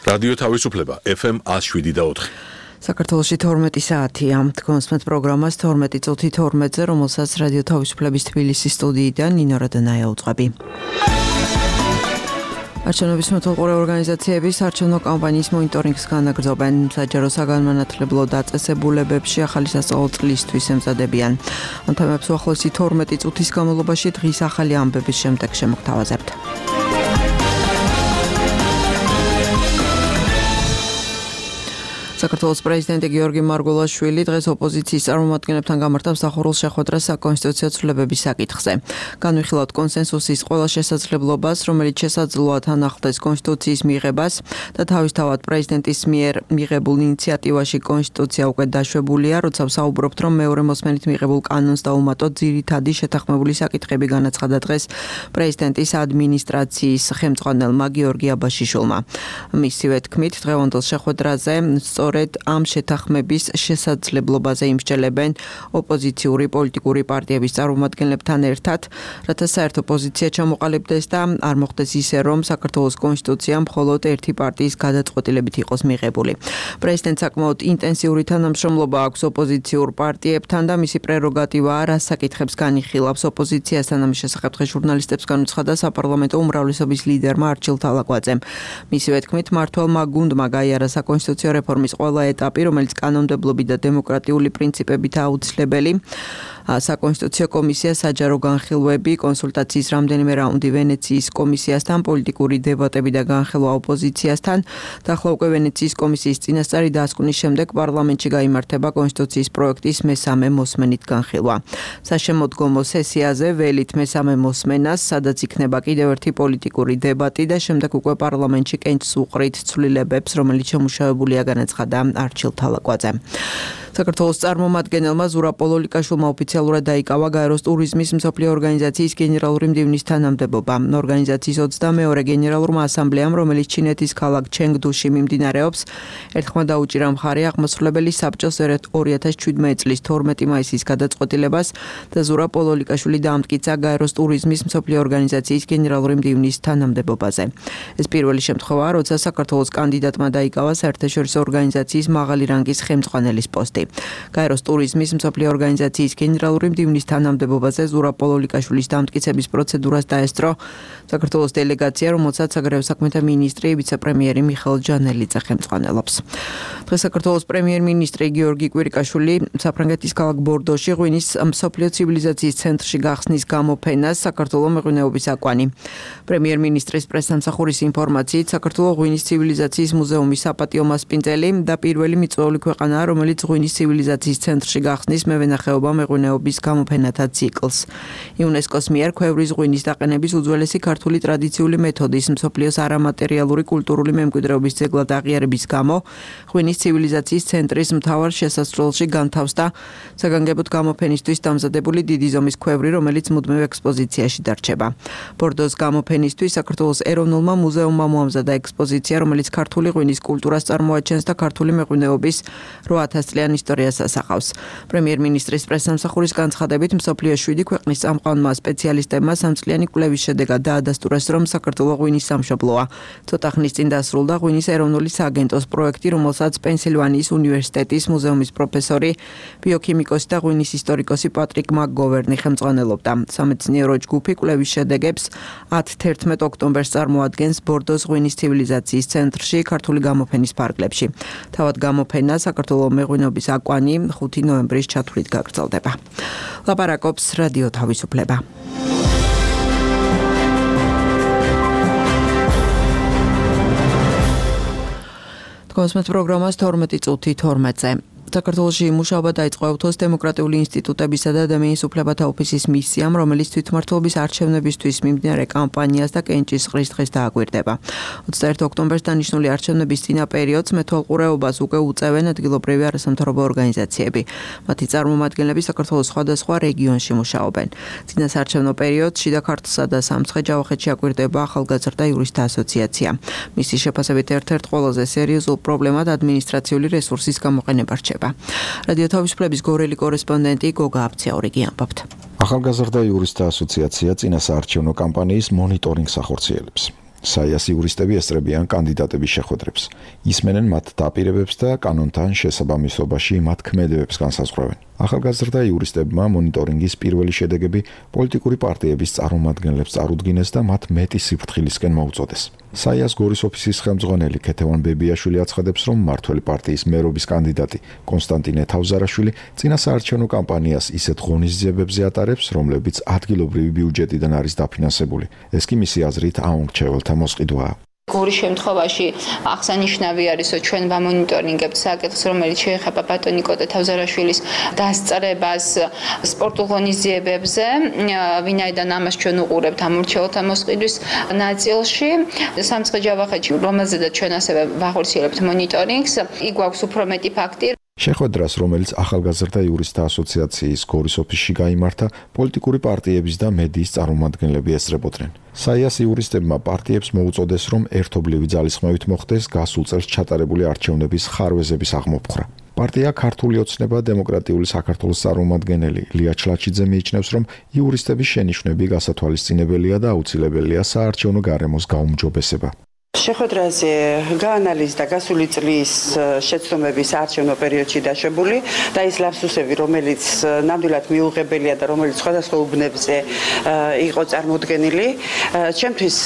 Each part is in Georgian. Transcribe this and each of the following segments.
რადიო თავისუფლება FM 107.4. საქართველოში 12 საათია. თქვენს პროგრამას 12 წუთი 12-ზე, რომელსაც რადიო თავისუფლების თბილისის სტუდიიდან ნინო რადანაია უძღვები. არჩევნების მეთვალყურე ორგანიზაციების არჩევნო კამპანიის მონიტორინგს განაგრძობენ. საჯარო საგანმანათლებლო დაწესებულებებში ახალი სასწავლო წლისთვის ემზადებიან. ამ თემებს უახლოესი 12 წუთის განმავლობაში დღის ახალი ამბების შემდეგ შემოგთავაზებთ. საქართველოს პრეზიდენტი გიორგი მარგველაშვილი დღეს ოპოზიციის წარმომადგენლებთან გამართა მსახურულ შეხვედრას საკონსტიტუციო ცვლილებების საკითხზე. განვიხილავთ კონსენსუსის ყველა შესაძლებლობას, რომელიც შესაძლოა თან ახლდეს კონსტიტუციის მიღებას და თავისთავად პრეზიდენტის მიერ მიღებულ ინიციატივაში კონსტიტუცია უკვე დაშვებულია, როცა ვსაუბრობთ, რომ მეორე მოსმენით მიღებულ კანონს დაუმატოთ ძირითადი შეთანხმებული საკითხები განაცხადა დღეს პრეზიდენტის ადმინისტრაციის ხელმძღვანელმა გიორგი აბაშიშვილმა. მისივე თქმით, დღევანდელ შეხვედრაზე ამ შეთანხმების შესაძლებლობაზე იმსჯელებენ ოპოზიციური პოლიტიკური პარტიების წარმომადგენლებთან ერთად, რათა საერთო პოზიცია ჩამოყალიბდეს და არ მოხდეს ისე, რომ საქართველოს კონსტიტუცია მხოლოდ ერთი პარტიის გადაწყვეტილებით იყოს მიღებული. პრეზიდენტს საკმაოდ ინტენსიური თანამშრომლობა აქვს ოპოზიციურ პარტიებთან და მისი პრეროგატივაა, რა საკითხებს განიხილავს ოპოზიციასთან. ამის შესახებ დღეს ჟურნალისტებს განუცხადა საპარლამენტო უმრავლესობის ლიდერმა არჩილ თალაკვაძემ. მისივე თქმით, მმართველმა გუნდმა გაიარა საკონსტიტუციო რეფორმის ყველა ეტაპი, რომელიც კანონმდებლობით და დემოკრატიული პრინციპებით აუცილებელი. საკონსტიტუციო კომისია, საჯარო განხილვები, კონსულტაციის რამდენიმე რაუნდი ვენეციის კომისიასთან, პოლიტიკური დებატები და განხილვა ოპოზიციასთან. და ახლა უკვე ვენეციის კომისიის წინასწარი დასკვნის შემდეგ პარლამენტში გაიმართება კონსტიტუციის პროექტის მესამე მოსმენით განხილვა. საშემოდგომო სესიაზე ველით მესამე მოსმენას, სადაც იქნება კიდევ ერთი პოლიტიკური დებატი და შემდეგ უკვე პარლამენტში კენჭს უყრით ცვლილებებს, რომელიც შემუშავებულია, განაცხადა არჩილ თალაკვაძემ. საქართველოს წარმომადგენელმა ზურაბ პოლოლიკაშვილმა ოფიციალურად დაიკავა გაეროს ტურიზმის მსოფლიო ორგანიზაციის გენერალური მდივნის თანამდებობა. ორგანიზაციის 22-ე გენერალურმა ასამბლეამ, რომელიც ჩინეთის ქალაქ ჩენგდუში მიმდინარეობს, ერთხმა დაუჭირა მხარი აღმასრულებელი საბჭოს 2017 წლის 12 მაისის გადაწყვეტილებას და ზურაბ პოლოლიკაშვილი დაამტკიცა გაეროს ტურიზმის მსოფლიო ორგანიზაციის გენერალური მდივნის თანამდებობაზე. ეს პირველი შემთხვევაა, როცა საქართველოს კანდიდატმა დაიკავა საერთაშორისო ორგანიზაციის მაღალი რანგის ხელმძღვანელის პოსტი. გაეროს ტურიზმის მსოფლიო ორგანიზაციის გენერალური მდივნის თანამდებობაზე ზურაბ პოლოლიკაშვილის დამტკიცების პროცედურას დაესწრო საქართველოს დელეგაცია, რომელსაც საგარეო საქმეთა მინისტრი, ვიცე-პრემიერი მიხეილ ჯანელიძე ხელმძღვანელობს. დღეს საქართველოს პრემიერ-მინისტრი გიორგი კვირიკაშვილი საფრანგეთის ქალაქ ბორდოში ღვინის მსოფლიო ცივილიზაციის ცენტრში გახსნის გამოფენას საქართველოს მეღვინეობის აკვანი. პრემიერ-მინისტრის პრესსამსახურის ინფორმაციით, საქართველოს ღვინის ცივილიზაციის მუზეუმის საპატიო მასპინძელი და პირველი მიწვეული ქვეყანაა, რომელიც ღვინის ცივილიზაციის ცენტრში გახსნის მევენახეობა მეღვინეობის გამოფენათა ციკლს. იუნესკოს მიერ ქვევრის ღვინის დაყენების უძველესი ქართული ტრადიციული მეთოდის მსოფლიოს არამატერიალური კულტურული მემკვიდრეობის ძეგლად აღიარების გამო ღვინის ცივილიზაციის ცენტრის მთავარ შესასვლელში განთავსდა საგანგებოდ გამოფენისთვის დამზადებული დიდი ზომის ქვევრი, რომელიც მუდმივ ექსპოზიციაში დარჩება. ბორდოს გამოფენისთვის საქართველოს ეროვნულმა მუზეუმმა მოამზადა ექსპოზიცია, რომელიც ქართული ღვინის კულტურას წარმოაჩენს და ქართული მეღვინეობის 8000 წლიან ისტორიას ასახავს. პრემიერ-მინისტრის პრესსამსახურის განცხადებით, მსოფლიოს 7 ქვეყნის წამყვანმა სპეციალისტებმა სამწლიანი კვლევის შედეგად დაადასტურეს, რომ საქართველოს ღვინის სამშობლოა. ცოტა ხნის წინ დასრულდა ღვინის ეროვნული სააგენტოს პროექტი, რომელსაც პენსილვანიის უნივერსიტეტის მუზეუმის პროფესორი, ბიოქიმიკოსი და ღვინის ისტორიკოსი პატრიკ მაკგოვერნი ხელმძღვანელობდა. სამეცნიერო ჯგუფი კვლევის შედეგებს 10-11 ოქტომბერს წარმოადგენს ბორდოს ღვინის ცივილიზაციის ცენტრში, ქართული გამოფენის ფარგლებში. თავად გამოფენა საქართველოს მეღვინეობის აკვანი 5 ნოემბრის ჩათვლით გაგრძელდება. ლაპარაკობს რადიო თავისუფლება. თქვენს პროგრამას 12 წუთი 12-ზე. საქართველოში მუშაობა დაიწყო უთოს დემოკრატიული ინსტიტუტებისა და ადამიანის უფლებათა ოფისის მისიამ, რომელიც თვითმმართველობის არჩევნებისთვის მიმდინარე კამპანიას და კენჭის ყრის დღეს დააკვირდება. 21 ოქტომბერს დანიშნული არჩევნების წინა პერიოდს მეთვალყურეობას უკვე უწევენ ადგილობრივი არასამთავრობო ორგანიზაციები. მათი წარმომადგენლები საქართველოს სხვადასხვა რეგიონში მუშაობენ. წინასარჩევნო პერიოდს შიდა ქართლსა და სამცხე-ჯავახეთში აკვირდება ახალგაზრდა იურისტთა ასოციაცია. მისი შეფასებით ერთ-ერთ ყველაზე სერიოზულ პრობლემად ადმინისტრაციული რესურსის გამოყენება რჩება. ითვლება. რადიო თავისუფლების გორელი კორესპონდენტი გოგა აბცაურიგი ამბობთ. ახალგაზრდა იურისტთა ასოციაცია წინასაარჩევნო კამპანიის მონიტორინგს ახორციელებს. საიას იურისტები ესწრებიან კანდიდატების შეხვედრებს. ისმენენ მათ დაპირებებს და კანონთან შესაბამისობაში მათ ქმედებებს განსაზღვრავენ. ახალგაზრდა იურისტებმა მონიტორინგის პირველი შედეგები პოლიტიკური პარტიების წარმომადგენლებს წარუდგინეს და მათ მეტი სიფრთხილისკენ მოუწოდეს. საიას გორის ოფისის ხელმძღვანელი ქეთევან ბებიაშვილი აცხადებს, რომ მმართველი პარტიის მერობის კანდიდატი კონსტანტინე თავზარაშვილი წინასაარჩევნო კამპანიას ისეთ ღონისძიებებზე ატარებს, რომლებიც ადგილობრივი ბიუჯეტიდან არის დაფინანსებული. ეს კი მისი აზრით აუმრჩეველთა მოსყიდვაა. გორის შემთხვევაში აღსანიშნავი არის, რომ ჩვენ ვამონიტორინგებთ საკითხს, რომელიც შეეხება ბატონი კოტე თავზარაშვილის დასწრებას სპორტულ ღონისძიებებზე, ვინაიდან ამას ჩვენ უყურებთ ამორჩეულთა მოსყიდვის ნაწილში. სამცხე-ჯავახეთში, რომელზედაც ჩვენ ასევე ვახორციელებთ მონიტორინგს, იქ გვაქვს უფრო მეტი ფაქტი. შეხვედრას, რომელიც ახალგაზრდა იურისტთა ასოციაციის გორის ოფისში გაიმართა, პოლიტიკური პარტიების და მედიის წარმომადგენლები ესწრებოდნენ. საიას იურისტებმა პარტიებს მოუწოდეს, რომ ერთობლივი ძალისხმევით მოხდეს გასულ წელს ჩატარებული არჩევნების ხარვეზების აღმოფხვრა. პარტია ქართული ოცნება დემოკრატიული საქართველოს წარმომადგენელი ლია ჩლაჩიძე მიიჩნევს, რომ იურისტების შენიშვნები გასათვალისწინებელია და აუცილებელია საარჩევნო გარემოს გაუმჯობესება. შეხვედრაზე გაანალიზდა გასული წლის შეცდომების საარჩევნო პერიოდში დაშვებული და ის ლაფსუსები, რომელიც ნამდვილად მიუღებელია და რომელიც სხვადასხვა უბნებზე იყო წარმოდგენილი. ჩემთვის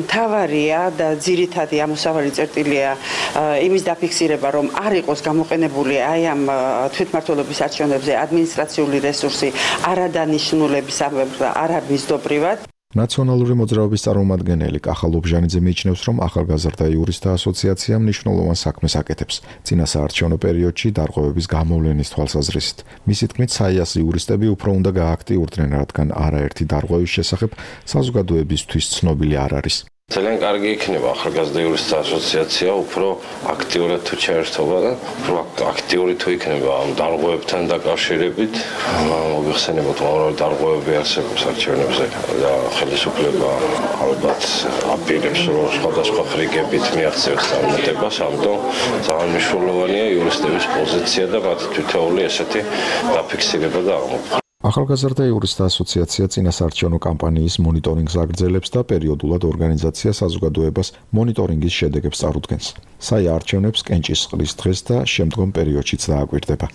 მთავარია და ძირითადი ამოსავალი წერტილია იმის დაფიქსირება, რომ არ იყოს გამოყენებული აი ამ თვითმმართველობის არჩევნებზე ადმინისტრაციული რესურსი არადანიშნულებისამებრ და არამიზდობრივად. ნაციონალური მოძრაობის წარმომადგენელი კახა ლობჟანიძე მიიჩნევს, რომ ახალგაზრდა იურისტთა ასოციაცია მნიშვნელოვან საქმეს აკეთებს წინასაარჩევნო პერიოდში დარღვევების გამოვლენის თვალსაზრისით. მისი თქმით, საიას იურისტები უფრო უნდა გააქტიურდნენ, რადგან არაერთი დარღვევის შესახებ საზოგადოებისთვის ცნობილი არ არის. ძალიან კარგი იქნება ახალგაზრდა იურისტთა ასოციაცია უფრო აქტიურად თუ ჩაერთობა და უფრო აქტიური თუ იქნება ამ დარღვევებთან დაკავშირებით. მოგეხსენებათ, რომ დარღვევები არსებობს არჩევნებზე და ხელისუფლება ალბათ აპირებს, რომ სხვადასხვა ხრიგებით მიაღწევს წარმატებას, ამიტომ ძალიან მნიშვნელოვანია იურისტების პოზიცია და მათ თითოეული ესეთი დაფიქსირება და აღმოფხვრა. ახალგაზრდა იურისტთა ასოციაცია წინასაარჩევნო კამპანიის მონიტორინგს აგრძელებს და პერიოდულად ორგანიზაცია საზოგადოებას მონიტორინგის შედეგებს წარუდგენს. საია არჩევნებს კენჭისყრის დღეს და შემდგომ პერიოდშიც დააკვირდება.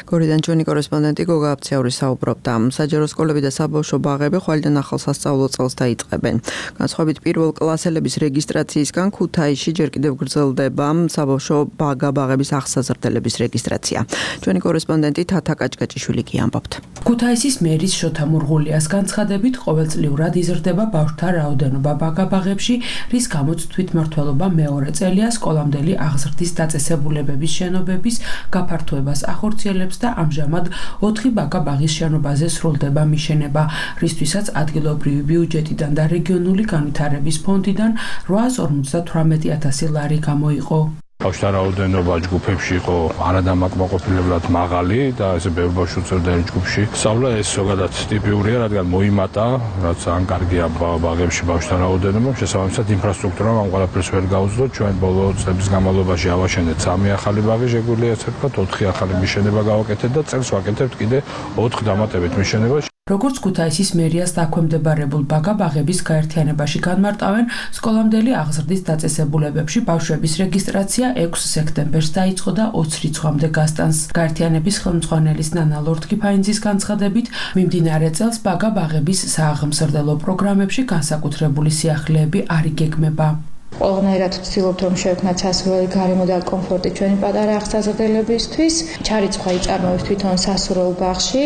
გორიდან ჩვენი კორესპონდენტი გოგა აბცაური საუბრობდა. საჯარო სკოლები და საბავშვო ბაღები ხვალიდან ახალ სასწავლო წელს დაიწყებენ. განსხვავებით პირველ კლასელების რეგისტრაციისგან ქუთაისში ჯერ კიდევ გრძელდება საბავშვო ბაღების აღსაზრდელების რეგისტრაცია. ჩვენი კორესპონდენტი თათა კაჭკაჭიშვილი კი ამბობთ. ქუთაისის მერის შოთა მურღულიას განცხადებით, ყოველწლიურად იზრდება ბავშვთა რაოდენობა ბაღებში, რის გამოც თვითმმართველობა მეორე წელია სკოლამდელი აღზრდის დაწესებულებების შენობების გაფართოებას ახორციელებს და ამჟამად 4 ბაღის შენობაზე სრულდება მიშენება, რისთვისაც ადგილობრივი ბიუჯეტიდან და რეგიონული განვითარების ფონდიდან 858,000 ლარი გამოიყო. ბავშვთა რაოდენობა ჯგუფებში იყო არადამაკმაყოფილებლად მაღალი და ესე ბევრ ბავშვი უწევდა ერთ ჯგუფში. სწავლა ეს ზოგადად ტიპიურია, რადგან მოიმატა, რაც ძალიან კარგია ბაღებში ბავშვთა რაოდენობა, შესაბამისად ინფრასტრუქტურამ ამ ყველაფერს ვერ გაუძლო. ჩვენ ბოლო წლების განმავლობაში ავაშენეთ 3 ახალი ბაღი, შეგვიძლია ასე ვთქვათ, 4 ახალი მიშენება გავაკეთეთ და წელს ვაკეთებთ კიდე 4 დამატებით მიშენებას. როგორც ქუთაისის მერიას დაქვემდებარებულ ბაღების გაერთიანებაში განმარტავენ, სკოლამდელი აღზრდის დაწესებულებებში ბავშვების რეგისტრაცია 6 სექტემბერს დაიწყო და 20 რიცხვამდე გასტანს. გაერთიანების ხელმძღვანელის ნანა ლორთქიფაინძის განცხადებით, მიმდინარე წელს ბაღების სააღმსრდელო პროგრამებში განსაკუთრებული სიახლეები არ იგეგმება. ყველანაირად ვცდილობთ, რომ შევქმნათ სასურველი გარემო და კომფორტი ჩვენი პატარა აღსაზრდელებისთვის. ჩარიცხვა იწარმოებს თვითონ სასურველ ბაღში,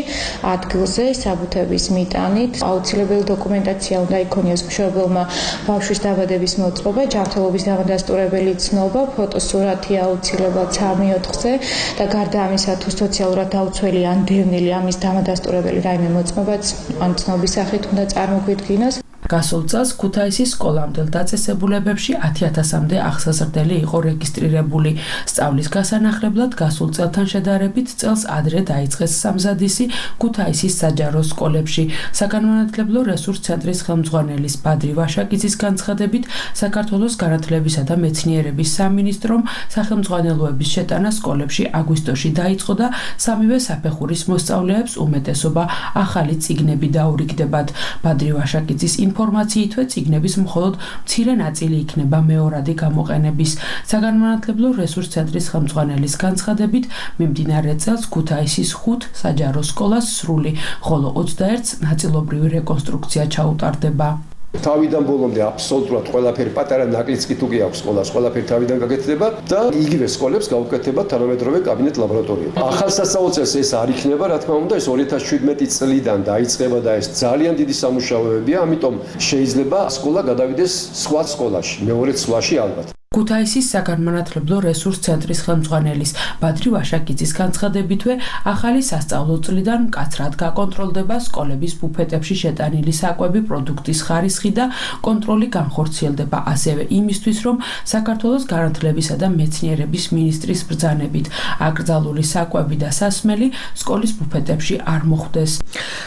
ადგილზე, საბუთების მიტანით. აუცილებელი დოკუმენტაცია უნდა იქონიოს მშობელმა ბავშვის დაბადების მოწყობა, ჯანმრთელობის დამადასტურებელი ცნობა, ფოტოსურათი აუცილებლად 3-4-ზე და გარდა ამისა, თუ სოციალურად დაუცველი ან დევნილი ამის დამადასტურებელი რაიმე მოწმობაც ან ცნობის სახით უნდა წარმოგვიდგინოს. გასულ წელს ქუთაისის სკოლამდელ დაწესებულებებში 10,000-მდე აღსაზრდელი იყო რეგისტრირებული. სწავლის გასანახლებლად გასულ წელთან შედარებით წელს ადრე დაიწყეს სამზადისი ქუთაისის საჯარო სკოლებში. საგანმანათლებლო რესურს ცენტრის ხელმძღვანელის ბადრი ვაშაკიძის განცხადებით, საქართველოს განათლებისა და მეცნიერების სამინისტრომ სახელმძღვანელოების შეტანა სკოლებში აგვისტოში დაიწყო და სამივე საფეხურის მოსწავლეებს უმეტესობა ახალი წიგნები დაურიგდებათ. ბადრი ვაშაკიძის ინფორმაციითვე წიგნების მხოლოდ მცირე ნაწილი იქნება მეორადი გამოყენების. საგანმანათლებლო რესურს ცენტრის ხელმძღვანელის განცხადებით, მიმდინარე წელს ქუთაისის 5 საჯარო სკოლას სრული, ხოლო 21-ს ნაწილობრივი რეკონსტრუქცია ჩაუტარდება. თავიდან ბოლომდე აბსოლუტურად ყველაფერი პატარა ნაკლიც კი თუ კი აქვს სკოლას, ყველაფერი თავიდან გაკეთდება და იგივე სკოლებს გაუკეთება თანამედროვე კაბინეტ ლაბორატორია. ახალ სასწავლო წელს ეს არ იქნება, რა თქმა უნდა, ეს 2017 წლიდან დაიწყება და ეს ძალიან დიდი სამუშაოებია, ამიტომ შეიძლება სკოლა გადავიდეს სხვა სკოლაში, მეორე სვლაში ალბათ. ქუთაისის საგანმანათლებლო რესურს ცენტრის ხელმძღვანელის ბადრი ვაშაკიძის განცხადებითვე, ახალი სასწავლო წლიდან მკაცრად გაკონტროლდება სკოლების ბუფეტებში შეტანილი საკვები პროდუქტის ხარისხი და კონტროლი განხორციელდება ასევე იმისთვის, რომ საქართველოს განათლებისა და მეცნიერების მინისტრის ბრძანებით აკრძალული საკვები და სასმელი სკოლის ბუფეტებში არ მოხვდეს.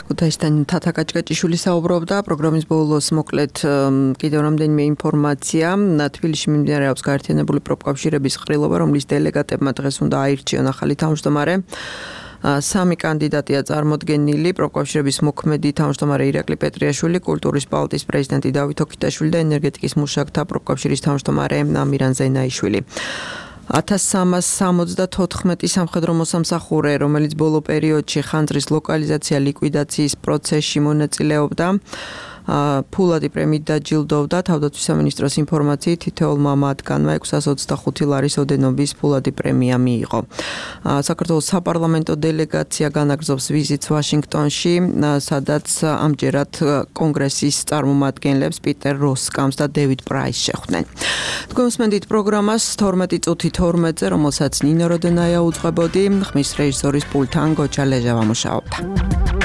ქუთაისთან თათა კაჭკაჭიშვილი საუბრობდა პროგრამის ბოლოს მოკლედ კიდევ რამდენიმე ინფორმაცია. თბილისში მიმდინარე გაერთიანებული პროფკავშირების ყრილობა, რომლის დელეგატებმა დღეს უნდა აირჩიონ ახალი თავმჯდომარე. 3 კანდიდატია წარმოდგენილი: პროფკავშირების მოქმედი თავმჯდომარე ირაკლი პეტრიაშვილი, კულტურის პალატის პრეზიდენტი დავით ოქიტაშვილი და ენერგეტიკის მუშაკთა პროფკავშირის თავმჯდომარე ამირან ზენაიშვილი. 1374 სამხედრო მოსამსახურე, რომელიც ბოლო პერიოდში ხანძრის ლოკალიზაცია ლიკვიდაციის პროცესში მონაწილეობდა, ფულადი პრემიით დაჯილდოვდა. თავდაცვის სამინისტროს ინფორმაციით, თითოეულმა მათგანმა 625 ლარის ოდენობის ფულადი პრემია მიიღო. საქართველოს საპარლამენტო დელეგაცია განაგრძობს ვიზიტს ვაშინგტონში, სადაც ამჯერად კონგრესის წარმომადგენლებს პიტერ როსკამს და დევიდ პრაისს შეხვდნენ. თქვენ უსმენთ პროგრამას 12:12-ზე, რომელსაც ნინო როდენაია უძღვებოდი, ხმის რეჟისორის პულტთან გოჩა ლეჟავა მუშაობდა.